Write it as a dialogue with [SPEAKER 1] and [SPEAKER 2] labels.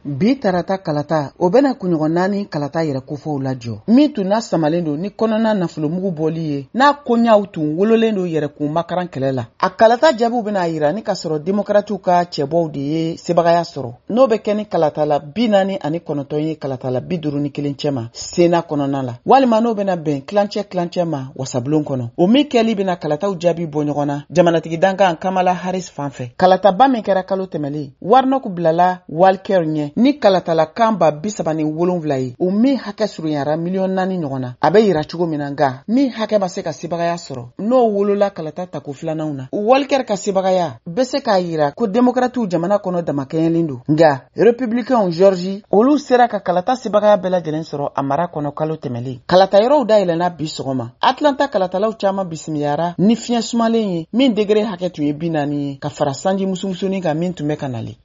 [SPEAKER 1] Bi tarata kalata, o bɛna kunɲɔgɔn 4 kalata yɛrɛ kofɔw lajɔ, min tun na samalen don ni kɔnɔna nafolomugu bɔli ye, n'a koɲaw tun wololen don yɛrɛkun makaran kɛlɛ la. A kalata jaabiw bɛna yira ni ka sɔrɔ demokratiw ka cɛbɔw de ye sebagaya sɔrɔ, n'o bɛ kɛ ni kalatala 49 ye kalatala 51 cɛma sena kɔnɔna la, walima n'o bɛna bɛn tilancɛ tilancɛ ma wasabulon kɔnɔ. O min kɛli bɛna kalataw jaabi bɔ ɲɔgɔn na jamanatigi dankan Kamala Harris fan fɛ. Kalataba min kɛra kalo tɛmɛlen, Warnock bilala Walker ɲɛ ni kalatala kan 37,000 ye, o min hakɛ surunyara miliyɔn 4 ɲɔgɔn na, a bɛ yira cogo min na. Nka min hakɛ ma se ka sebagaya sɔrɔ, n'o wolola kalata tako filananw na. Walker ka sebagaya bɛ se k'a yira ko demokratiw jamana kɔnɔ damakɛɲɛlen don, nka republicainw Georgie, olu sera ka kalata sebagaya bɛɛ lajɛlen sɔrɔ a mara kɔnɔ kalo tɛmɛlen. Kalata yɔrɔw dayɛlɛnna bi sɔgɔma. Atlanta kalatalaw caman bisimiyara ni fiɲɛ sumalen ye, min degere hakɛ tun ye 40 ye, ka fara sanji musumusunin kan min tun bɛ ka nalen.